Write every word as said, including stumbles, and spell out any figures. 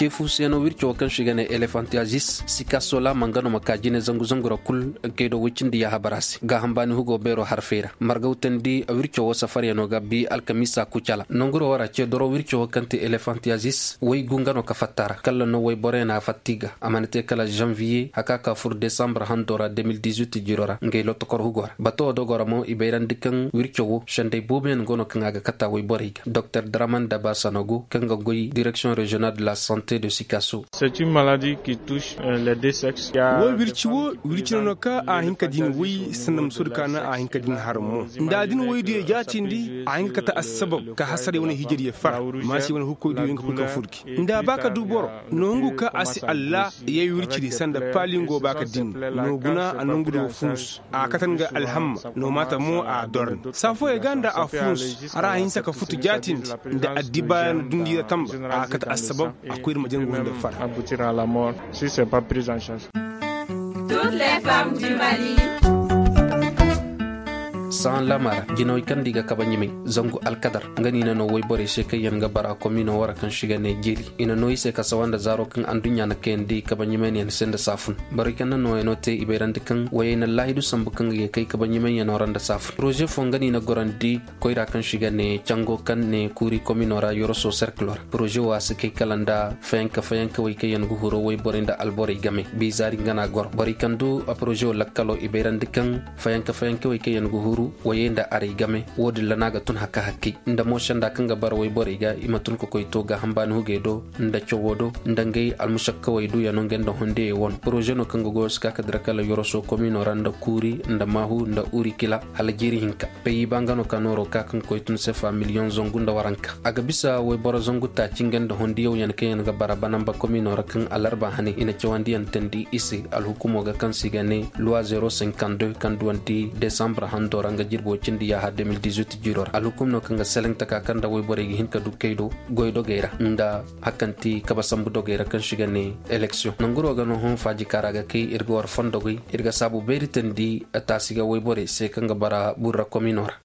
Ceefu se no wirco wo kaŋ se i ga ne elefantiyazis sikasola mangano ma ka jine zangu zangu ra kul. Kay do woy cindi yaaha bara se gaaham baani hugo beero harfey ra margawtandi wirco wo safaryano ga bi alkamiisa kucala nanguro wo ra ce doro wirco wo kaŋ te elefantiyazis woy gu nga no ka fatta ra kalla no woy boroyaŋ a fatta i ga a mana te kala zanviye haka ka fur desambar hando ra de mil dizuit jiro ra ngey lotokor hugo ra bato wo dogo ra mo i bayrandi kaŋ wirco wo sendey booboyaŋ go no kaŋ a ga kata woy borey ga doktor draman daba sanogo kaŋ ga goy direksiyoŋ reziyonal de la sante de sikaso. Wo wirci wo wirci no no ka a hin ka din woy sanda musoodi ka naŋ a hin ka din har mo nda a din woy diyo jaatindi a hin ka kate assabab ka hasarey wane hijiriyo fara maasi wane hukkoy diyo nga kul ka furki nda a ba ka du boro no hungu ka a si allah yay wirci di sanda paali nga wo ba ka din no guna a nongu di wo funsu a katan ga alhamma no maata mo a dorni saa fooyey ga nda a funsu hara a hinsa ka futu jaatindi nda addibaaya na dundi ra tamba a kate assabab a koy ir ma jangu hunde fara. Sahan lamara jinawey kaŋ nda i ga kabe ɲumay zangu alkadar nga no i na no woyborey se kaŋ yaŋ ga bara komino wara kaŋ se i ga ne jeeli i na no i se ka sawa nda zaaro kaŋ anduɲɲa na kayandi kabe ɲumayniyaŋ se nda saafun borey kaŋ na nooyaŋo te i bayrandi kaŋ woyey na laahidu sambu kaŋ ga ye kay kabe ɲumayyaŋo ra nda saafun poroze fo nga no i na gorandi koyra kaŋ se i ga ne cango kaŋ ne kuuri komino ra yoroso serkilo ra poroze wo a si kay kala nda fayanka fayankawey kaŋ yaŋ ga huru woyborey nda alborey game bizaari nga no a goro borey kaŋ du a poroze wo lakkalo i bayrandi kaŋ fayanka fayankawey kaŋ yaŋ ga huru woyey nda arey game wo-din ra no a ga tun haka hakkey nda mo senda kaŋ ga bara woyborey ga i ma tun ka koy to gaaham baani hugey do nda cawo do nda ngey almusakkawey duyaŋo ngey nda hondiyey wano poroze no kaŋ ga goyo si ka ka dira kala yoroso komino ra nda kuuri nda maahu nda urikila hala jiiri hinka peyi ba nga no ka nooro ka kaŋ koy tun sefa miliyoŋ zangu nda waranka a ga bisa woyboro zangu taaci ngey nda hondiyawyaŋ kaŋ yaŋ ga bara banamba komino ra kaŋ alarba hane i na cawandiyaŋ teendi i se alhukumo ga kaŋ se i ga ne luwa zero cinquante deux kaŋ duwandi desambar hando ra nga jirbo cindi yaaha de mil dizuit jiro ra alhukum no kaŋ ga seleŋ taka kaŋ nda woyborey ga hin ka du kay do goy dogey ra nda hakanti kaba sambu dogey ra kaŋ se i ga ne eleksiyoŋ nanguro ga no hõ faaji kaara ga kay ir ga war fondogey ir ga saabu beeri teendi taasi ga woyborey se kaŋ ga bara burra komino ra.